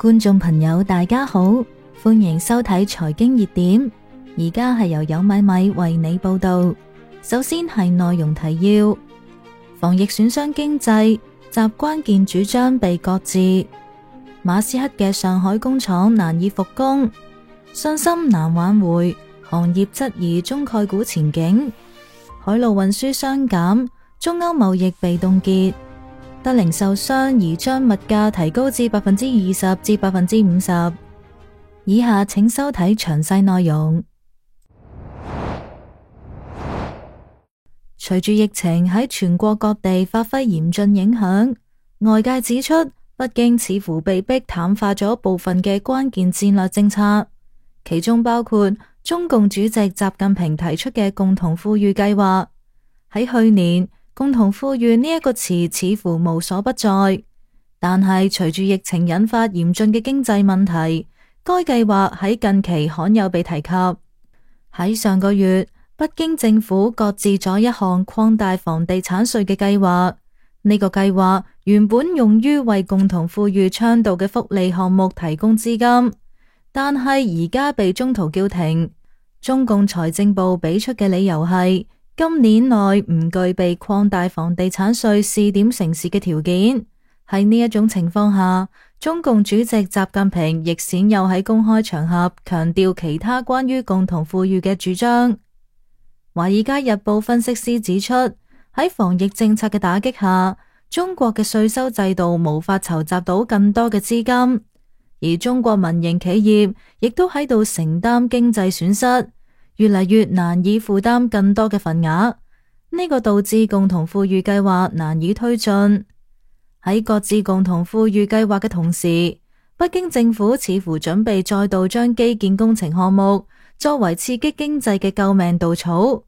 觀眾朋友大家好，歡迎收睇財經熱點，而家係由有米米為你報道。首先係內容提要：防疫損傷經濟，集關鍵主張被擱置；馬斯克嘅上海工廠難以復工，信心難挽回，行業質疑中概股前景；海路運輸雙減，中歐貿易被凍結；得零售商宜將物價提高至20%至50%。以下請收睇詳細內容。隨住疫情喺全國各地發揮嚴峻影響，外界指出北京似乎被迫淡化咗部分嘅關鍵戰略政策，其中包括中共主席習近平提出嘅共同富裕計劃。喺去年，共同富裕呢一個詞似乎無所不在，但係隨住疫情引發嚴峻嘅經濟問題，該計劃喺近期罕有被提及。喺上個月，北京政府擱置咗一項擴大房地產稅嘅計劃。呢個計劃原本用於為共同富裕倡導嘅福利項目提供資金，但係而家被中途叫停。中共財政部俾出嘅理由係今年內唔具備擴大房地產稅試點城市嘅條件。喺呢一種情況下，中共主席習近平亦鮮有喺公開場合強調其他關於共同富裕嘅主張。華爾街日報分析師指出，喺防疫政策嘅打擊下，中國嘅稅收制度無法籌集到更多嘅資金，而中國民營企業亦都喺度承擔經濟損失，越嚟越難以負擔更多嘅份額。呢個導致共同富裕計劃難以推進。喺擱置共同富裕計劃嘅同時，北京政府似乎準備再度將基建工程項目作為刺激經濟嘅救命稻草。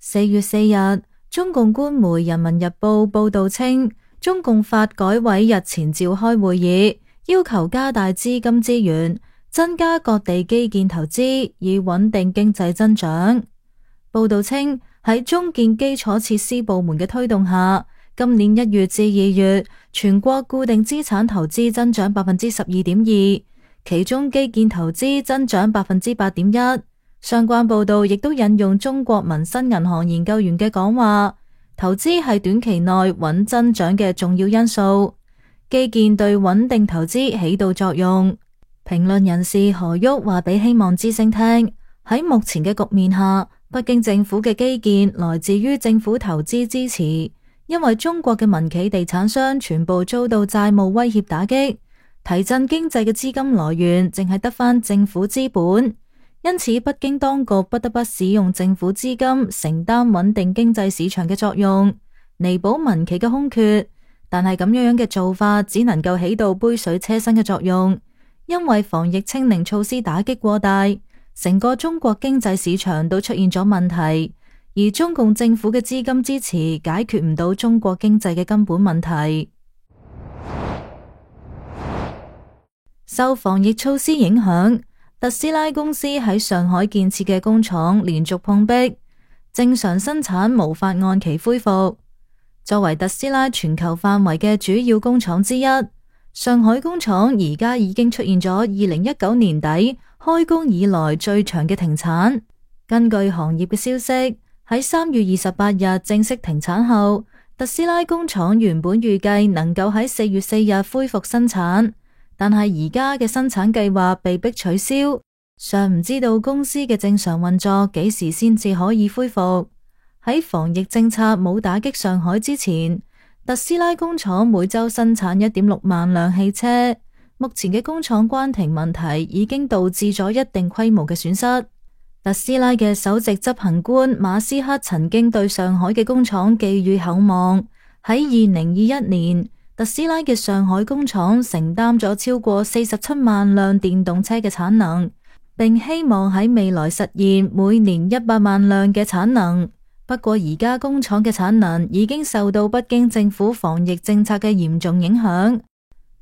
4月4日，中共官媒《人民日報》報道稱，中共發改委日前召開會議，要求加大資金資源，增加各地基建投資，以穩定經濟增長。報道稱，喺中建基礎設施部門嘅推動下，今年1月至2月，全國固定資產投資增長12.2%，其中基建投資增長8.1%。相關報道亦都引用中國民生銀行研究員嘅講話，投資係短期內穩增長嘅重要因素，基建對穩定投資起到作用。評論人士何旭話俾希望之聲聽，喺目前嘅局面下，北京政府嘅基建來自於政府投資支持，因為中國嘅民企地產商全部遭到債務威脅打擊，提振經濟嘅資金來源淨係得返政府資本。因此，北京當局不得不使用政府資金承擔穩定經濟市場嘅作用，彌補民企嘅空缺。但係咁樣嘅做法只能夠起到杯水車薪嘅作用，因為防疫清零措施打擊過大，成個中國經濟市場都出現咗問題，而中共政府嘅資金支持解決唔到中國經濟嘅根本問題。受防疫措施影響，特斯拉公司喺上海建設嘅工廠連續碰壁，正常生產無法按期恢復。作為特斯拉全球範圍嘅主要工廠之一，上海工廠而家已經出現咗2019年底開工以來最長嘅停產。根據行業嘅消息，喺3月28日正式停產後，特斯拉工廠原本預計能夠喺4月4日恢復生產，但係而家嘅生產計劃被迫取消，尚唔知道公司嘅正常運作幾時先至可以恢復。喺防疫政策冇打擊上海之前，特斯拉工廠每周生產1.6萬輛汽車。目前嘅工廠關停問題已經導致咗一定規模嘅損失。特斯拉嘅首席執行官馬斯克曾經對上海嘅工廠寄予厚望，喺2021年，特斯拉嘅上海工廠承擔咗超過47萬輛電動車嘅產能，並希望喺未來實現每年100萬輛嘅產能。不過而家工廠嘅產能已經受到北京政府防疫政策嘅嚴重影響。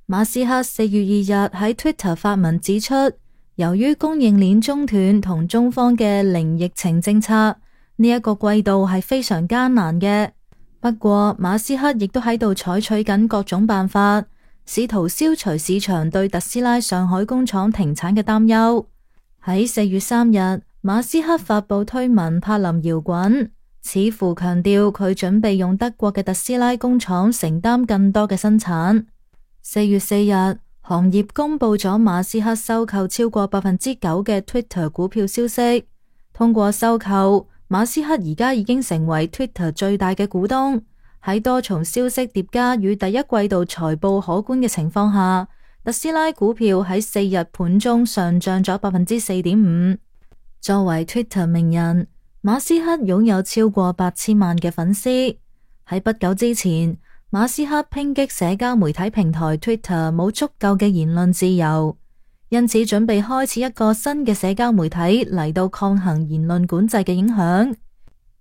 馬斯克4月2日喺 Twitter 發文指出，由於供應鏈中斷同中方嘅零疫情政策，呢一個季度係非常艱難嘅。不過馬斯克亦都喺度採取緊各種辦法，試圖消除市場對特斯拉上海工廠停產嘅擔憂。喺4月3日，馬斯克發佈推文柏林搖滾，似乎強調佢準備用德國嘅特斯拉工廠承擔更多嘅生產。4月4日，行業公布咗馬斯克收購超過9%嘅 Twitter 股票消息。通過收購，馬斯克而家已經成為 Twitter 最大嘅股東。喺多重消息疊加與第一季度財報可觀嘅情況下，特斯拉股票喺4日盤中上漲咗4.5%。作為 Twitter 名人，馬斯克擁有超過8000萬嘅粉絲。喺不久之前，馬斯克抨擊社交媒體平台 Twitter 冇足夠嘅言論自由，因此準備開始一個新嘅社交媒體嚟到抗衡言論管制嘅影響。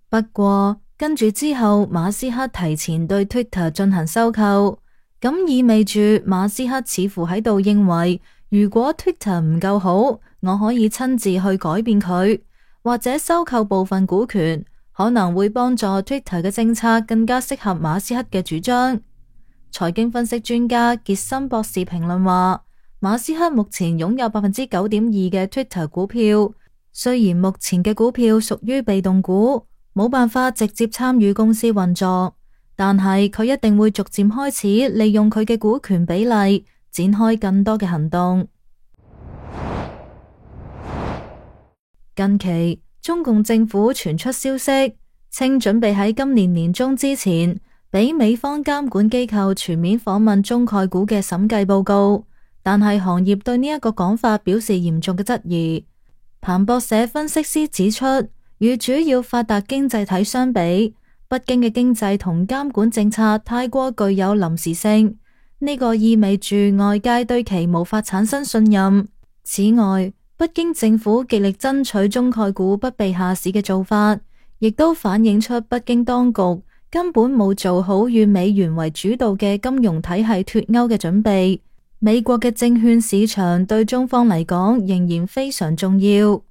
不過跟住之後，馬斯克提前對 Twitter 進行收購，咁意味住馬斯克似乎喺度認為，如果 Twitter 唔夠好，我可以親自去改變佢，或者收購部分股權，可能會幫助 Twitter 嘅政策更加適合馬斯克嘅主張。財經分析專家傑森博士評論話，馬斯克目前擁有9.2%嘅 Twitter 股票，雖然目前嘅股票屬於被動股，冇辦法直接參與公司運作，但係佢一定會逐漸開始利用佢嘅股權比例，展開更多嘅行動。近期，中共政府傳出消息，稱準備喺今年年中之前，俾美方監管機構全面訪問中概股嘅審計報告，但係行業對呢一個講法表示嚴重嘅質疑。彭博社分析師指出，與主要發達經濟體相比，北京嘅經濟同監管政策太過具有臨時性，呢個意味住外界對其無法產生信任。此外，北京政府極力爭取中概股不被下市嘅做法，亦都反映出北京當局根本冇做好與美元為主導嘅金融體系脫鈎嘅準備。美國嘅證券市場對中方嚟講仍然非常重要。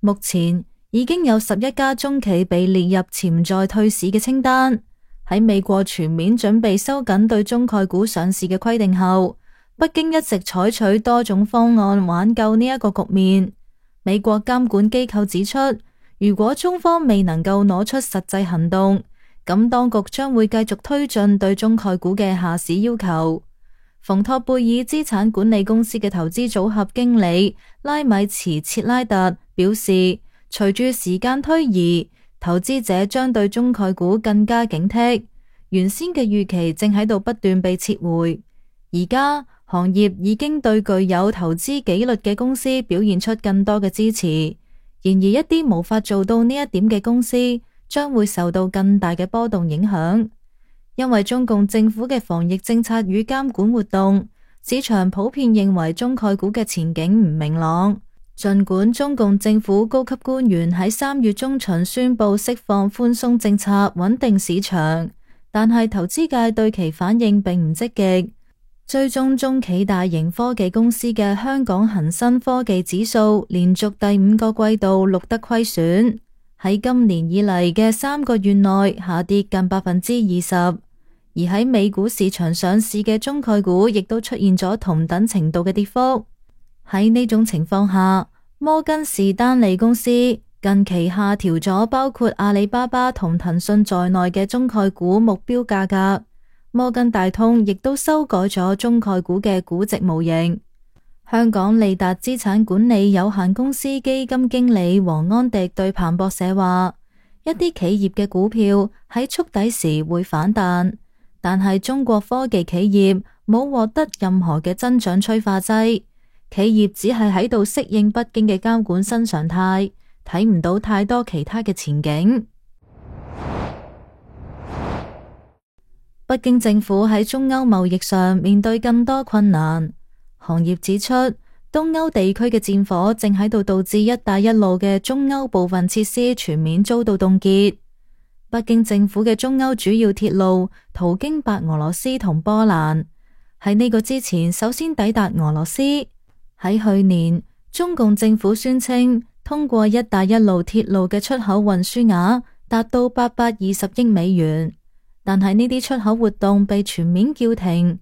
目前已經有11家中企被列入潛在退市嘅清單。喺美國全面準備收緊對中概股上市嘅規定後，北京一直採取多種方案挽救呢一個局面。美國監管機構指出，如果中方未能夠攞出實際行動，咁當局將會繼續推進對中概股嘅下市要求。馮托貝爾資產管理公司嘅投資組合經理拉米茨切拉特表示，隨住時間推移，投資者將對中概股更加警惕，原先嘅預期正喺度不斷被撤回。而家行業已經對具有投資紀律嘅公司表現出更多嘅支持，然而一啲無法做到呢一點嘅公司將會受到更大嘅波動影響。因為中共政府嘅防疫政策與監管活動，市場普遍認為中概股嘅前景唔明朗。儘管中共政府高級官員喺3月中旬宣布釋放寬鬆政策穩定市場，但係投資界對其反應並唔積極。追蹤中企大型科技公司嘅香港恒生科技指數連續第5個季度錄得虧損，喺今年以嚟嘅3個月內下跌近20%，而喺美股市場上市嘅中概股亦都出現咗同等程度嘅跌幅。喺呢種情況下，摩根士丹利公司近期下調咗包括阿里巴巴同騰訊在內嘅中概股目標價格。摩根大通亦都修改咗中概股嘅估值模型。香港利達資產管理有限公司基金經理黃安迪對彭博社話，一啲企業嘅股票喺觸底時會反彈，但係中國科技企業冇獲得任何嘅增長催化劑。企業只係喺度適應北京嘅監管新常態，睇唔到太多其他嘅前景。北京政府喺中歐貿易上面對更多困難。行業指出，東歐地區嘅戰火正喺度導致一帶一路嘅中歐部分設施全面遭到凍結。北京政府嘅中歐主要鐵路途經白俄羅斯同波蘭，喺呢個之前首先抵達俄羅斯。喺去年，中共政府宣稱通過一帶一路鐵路嘅出口運輸額達到820億美元，但係呢啲出口活動被全面叫停。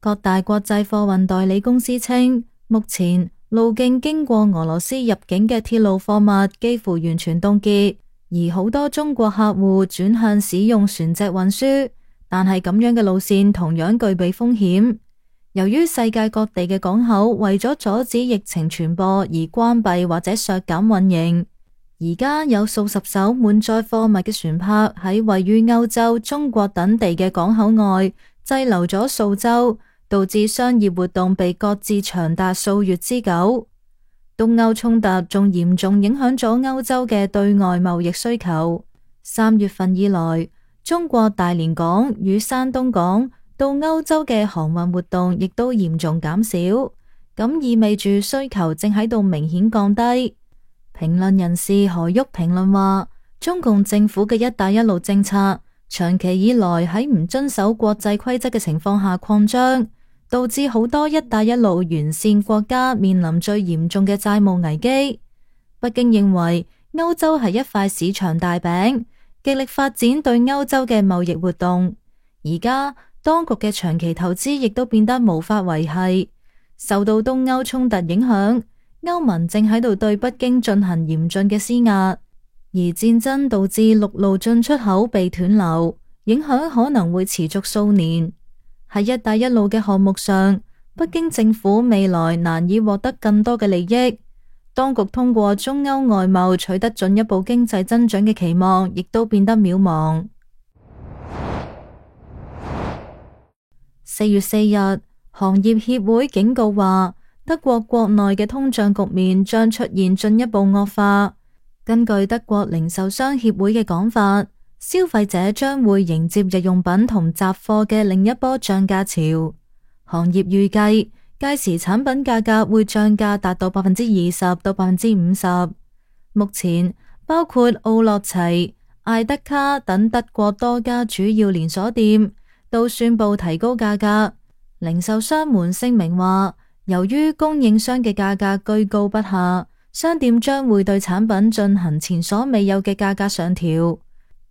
各大國際貨運代理公司稱，目前路徑經過俄羅斯入境嘅鐵路貨物幾乎完全凍結，而好多中國客戶轉向使用船隻運輸，但係咁樣嘅路線同樣具備風險。由於世界各地嘅港口為咗阻止疫情傳播而關閉或者削減運營，而家有數十艘滿載貨物嘅船舶喺位於歐洲、中國等地嘅港口外滯留咗數週，導致商業活動被擱置長達數月之久。東歐衝突仲嚴重影響咗歐洲嘅對外貿易需求。3月份以來，中國大連港與山東港到歐洲嘅航運活動亦都嚴重減少，咁意味住需求正喺度明顯降低。評論人士何旭評論話，中共政府嘅一帶一路政策長期以來喺唔遵守國際規則嘅情況下擴張，導致好多一帶一路沿線國家面臨最嚴重嘅債務危機。北京認為歐洲係一塊市場大餅，極力發展對歐洲嘅貿易活動。而家當局嘅長期投資亦都變得無法維繫，受到東歐衝突影響，歐盟正喺度對北京進行嚴峻嘅施壓，而戰爭導致陸路進出口被斷流，影響可能會持續數年。喺一帶一路嘅項目上，北京政府未來難以獲得更多嘅利益，當局通過中歐外貿取得進一步經濟增長嘅期望亦都變得渺茫。4月4日，行業協會警告話，德國國內嘅通脹局面將出現進一步惡化。根據德國零售商協會嘅講法，消費者將會迎接日用品同雜貨嘅另一波漲價潮。行業預計，屆時產品價格會漲價達到20%到50%。目前，包括奧樂齊、艾德卡等德國多家主要連鎖店都宣布提高價格。零售商們聲明話，由於供應商嘅價格居高不下，商店將會對產品進行前所未有嘅價格上調。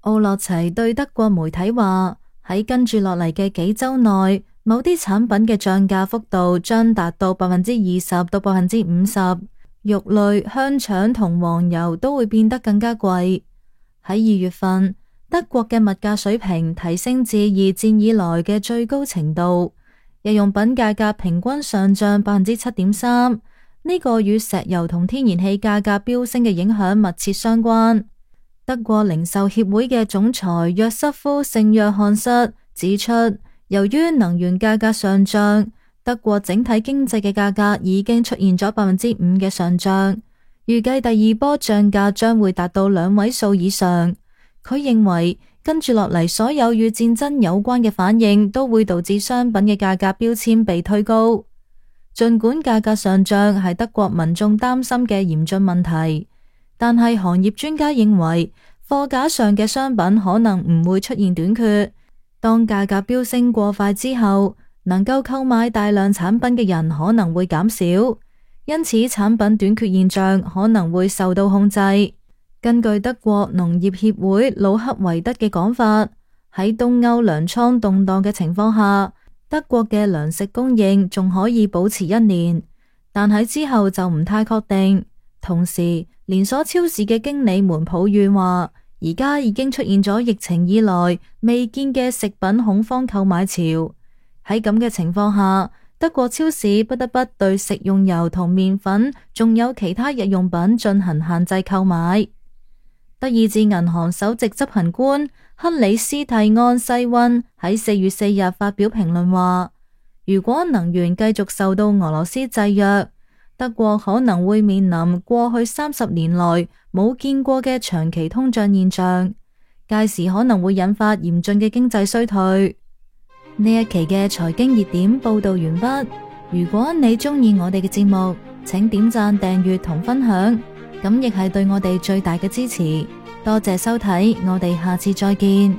奧樂齊對德國媒體話，喺跟住落嚟嘅幾週內，某啲產品嘅漲價幅度將達到20%到50%，肉類、香腸同黃油都會變得更加貴。喺2月份，德國嘅物價水平提升至二戰以來嘅最高程度，日用品價格平均上漲7.3%，呢個與石油同天然氣價格飆升嘅影響密切相關。德國零售協會嘅總裁約瑟夫聖約翰瑟指出，由於能源價格上漲，德國整體經濟嘅價格已經出現咗5%嘅上漲，預計第二波漲價將會達到2位數以上。佢認為跟住落嚟所有與戰爭有關嘅反應都會導致商品嘅價格標籤被推高。盡管價格上漲係德國民眾擔心嘅嚴峻問題，但係行業專家認為貨架上嘅商品可能唔會出現短缺。當價格飆升過快之後，能夠購買大量產品嘅人可能會減少，因此產品短缺現象可能會受到控制。根據德國農業協會魯克維德嘅講法，喺東歐糧倉動盪嘅情況下，德國嘅糧食供應仲可以保持1年，但喺之後就唔太確定。同時，連鎖超市嘅經理們抱怨話，而家已經出現咗疫情以來未見嘅食品恐慌購買潮。喺咁嘅情況下，德國超市不得不對食用油同麵粉，仲有其他日用品進行限制購買。德意志銀行首席執行官克里斯蒂安西溫喺4月4日發表評論話，如果能源繼續受到俄羅斯制約，德國可能會面臨過去30年來冇見過嘅長期通脹現象，屆時可能會引發嚴峻嘅經濟衰退。呢一期嘅財經熱點報道完畢。如果你鍾意我哋嘅節目，請點讚、訂閱同分享，咁亦係對我哋最大嘅支持。多謝收睇，我哋下次再見。